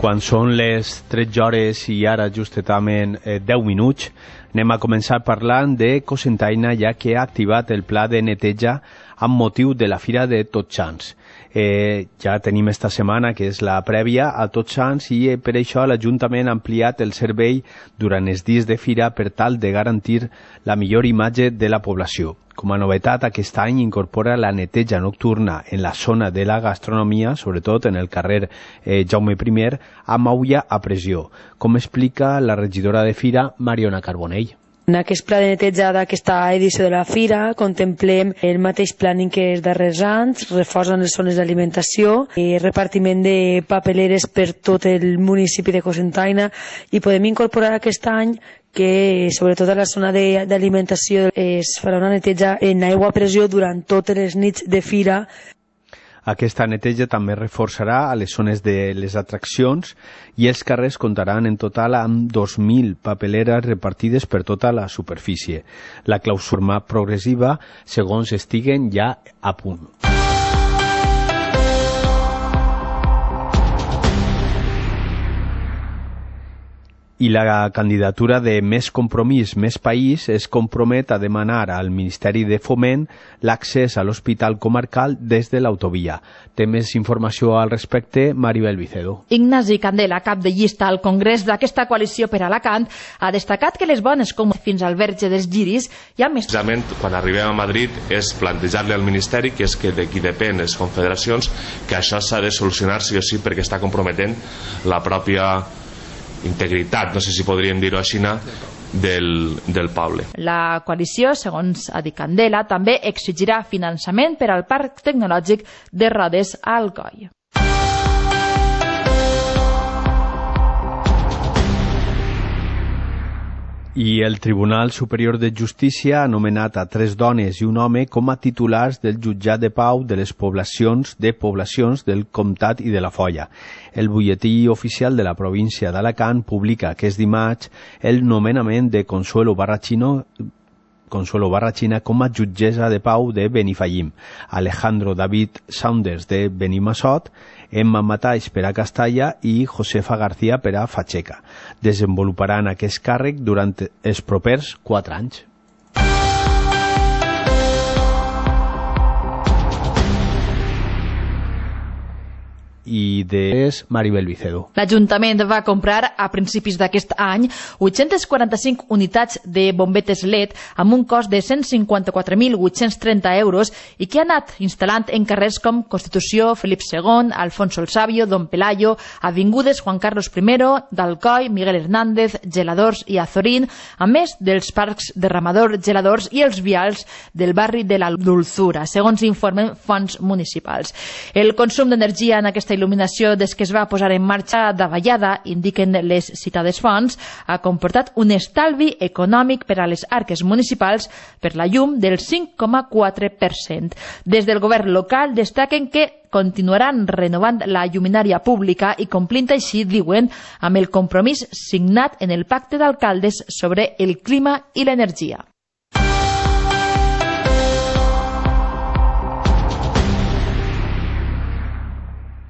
Quan són les 13 hores i ara justament 10 minuts, anem a començar parlant de Cocentaina, ja que ha activat el pla de neteja amb motiu de la Fira de Tots Sants. Ja tenim esta setmana, que és la prèvia a Tots Sants, i per això l'Ajuntament ha ampliat el servei durant els dies de fira per tal de garantir la millor imatge de la població. Com a novetat, aquest any incorpora la neteja nocturna en la zona de la gastronomia, sobretot en el carrer Jaume I, amb aula a pressió, com explica la regidora de Fira, Mariona Carbonell. En aquest pla de neteja d'aquesta edició de la Fira contemplem el mateix planning que els darrers anys, reforç en les zones d'alimentació, repartiment de papeleres per tot el municipi de Cocentaina, i podem incorporar aquest any que sobretot a la zona d'alimentació es farà una neteja en aigua a pressió durant totes les nits de fira. Aquesta neteja també reforçarà a les zones de les atraccions i els carrers comptaran en total amb 2.000 papeleres repartides per tota la superfície. La clausura progressiva segons estiguen ja a punt. I la candidatura de Més Compromís, Més País es compromet a demanar al Ministeri de Foment l'accés a l'Hospital Comarcal des de l'autovia. Té més informació al respecte, Maribel Vicedo. Ignasi Candela, cap de llista al Congrés d'aquesta coalició per Alacant, ha destacat que les bones com fins al verge dels Giris hi ha més... Precisament, quan arribem a Madrid és plantejar-li al Ministeri, que és que de qui depèn les confederacions, que això s'ha de solucionar sí o sí perquè està comprometent la pròpia integritat, no sé si podríem dir-ho així, del poble. La coalició, segons ha dit Candela, també exigirà finançament per al Parc Tecnològic de Rodes a Alcoi. I el Tribunal Superior de Justícia ha nomenat a 3 dones i un home com a titulars del jutjat de pau de les poblacions del Comtat i de la Foia. El butlletí oficial de la província d'Alacant publica aquest dimarts el nomenament de Consuelo Barrachina com a jutgessa de pau de Benifallim, Alejandro David Saunders de Benimassot, Emma Mataix per a Castalla i Josefa García per a Facheca. Desenvoluparan aquest càrrec durant els propers 4 anys. I és Maribel Vicedo. L'Ajuntament va comprar a principis d'aquest any 845 unitats de bombetes LED amb un cost de 154.830 euros i que ha anat instal·lant en carrers com Constitució, Felip II, Alfonso el Sabio, Don Pelayo, avingudes Juan Carlos I, d'Alcoi, Miguel Hernández, Geladors i Azorín, a més dels parcs derramador Geladors i els vials del barri de la Dulzura, segons informen fonts municipals. El consum d'energia en aquesta il·luminació des que es va posar en marxa davallada, indiquen les citades fonts, ha comportat un estalvi econòmic per a les arques municipals per la llum del 5,4%. Des del govern local destaquen que continuaran renovant la lluminària pública i complint així, diuen, amb el compromís signat en el Pacte d'Alcaldes sobre el clima i l'energia.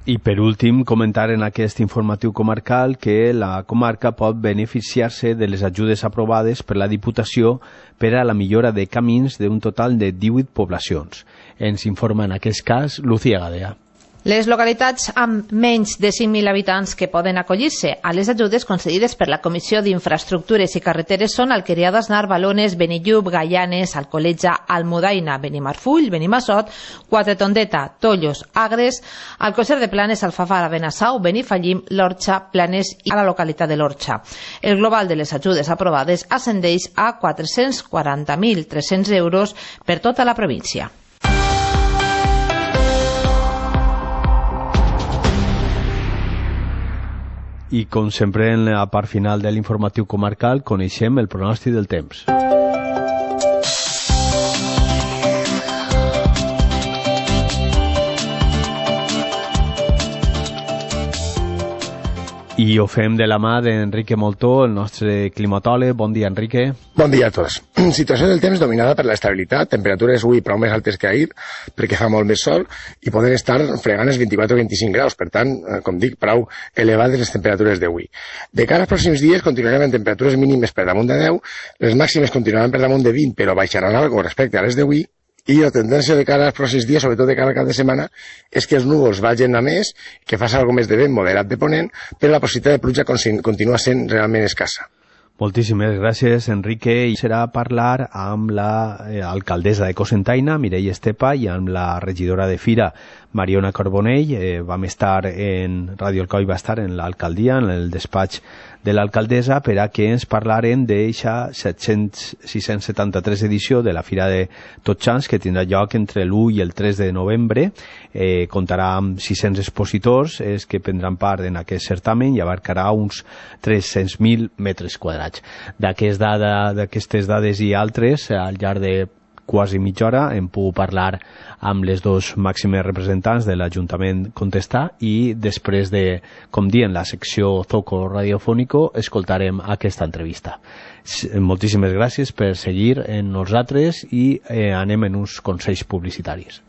I per últim, comentar en aquest informatiu comarcal que la comarca pot beneficiar-se de les ajudes aprovades per la Diputació per a la millora de camins d'un total de 18 poblacions. Ens informa en aquest cas Lucía Gadea. Les localitats amb menys de 5.000 habitants que poden acollir-se a les ajudes concedides per la Comissió d'Infraestructures i Carreteres són Alqueria d'Asnar, Balones, Benillup, Gaianes, Alcoletja, Almudaina, Benimarfull, Benimassot, Quatretondeta, Tollos, Agres, Alcosser de Planes, Alfafara, Benassau, Benifallim, l'Orxa, Planes i a la localitat de l'Orxa. El global de les ajudes aprovades ascendeix a 440.300 euros per tota la província. I com sempre en la part final de l'informatiu comarcal coneixem el pronòstic del temps. I ho fem de la mà d'Enrique Moltó, el nostre climatòleg. Bon dia, Enrique. Bon dia a tots. Situació del temps dominada per l'estabilitat, temperatures avui prou més altes que ahir, perquè fa molt més sol, i poden estar fregant els 24 o 25 graus, per tant, com dic, prou elevades les temperatures d'avui. De cara als pròxims dies continuarem amb temperatures mínimes per damunt de 10, les màximes continuaran per damunt de 20, però baixaran algo respecte a les d'avui, i la tendència de cara als pròxims dies, sobretot de cara al cap de setmana, és que els núvols vagin a més, que faci alguna més de vent moderat de ponent, però la possibilitat de pluja continua sent realment escassa. Moltíssimes gràcies, Enrique. I serà parlar amb l'alcaldessa de Cocentaina, Mireia Estepa, i amb la regidora de Fira, Mariona Carbonell. Vam estar en Radio Alcoi, va estar en l'alcaldia, en el despatx de l'alcaldessa, per a que ens parlaren d'eixa 673 edició de la Fira de Tots Sants, que tindrà lloc entre l'1 i el 3 de novembre. Comptarà amb 600 expositors que prendran part en aquest certamen i abarcarà uns 300.000 metres quadrats. D'aquestes dades i altres, al llarg de quasi mitja hora hem pogut parlar amb les dos màximes representants de l'Ajuntament Contestà, i després de, com dient, la secció Zoco Radiofónico, escoltarem aquesta entrevista. Moltíssimes gràcies per seguir en nosaltres i anem en uns consells publicitaris.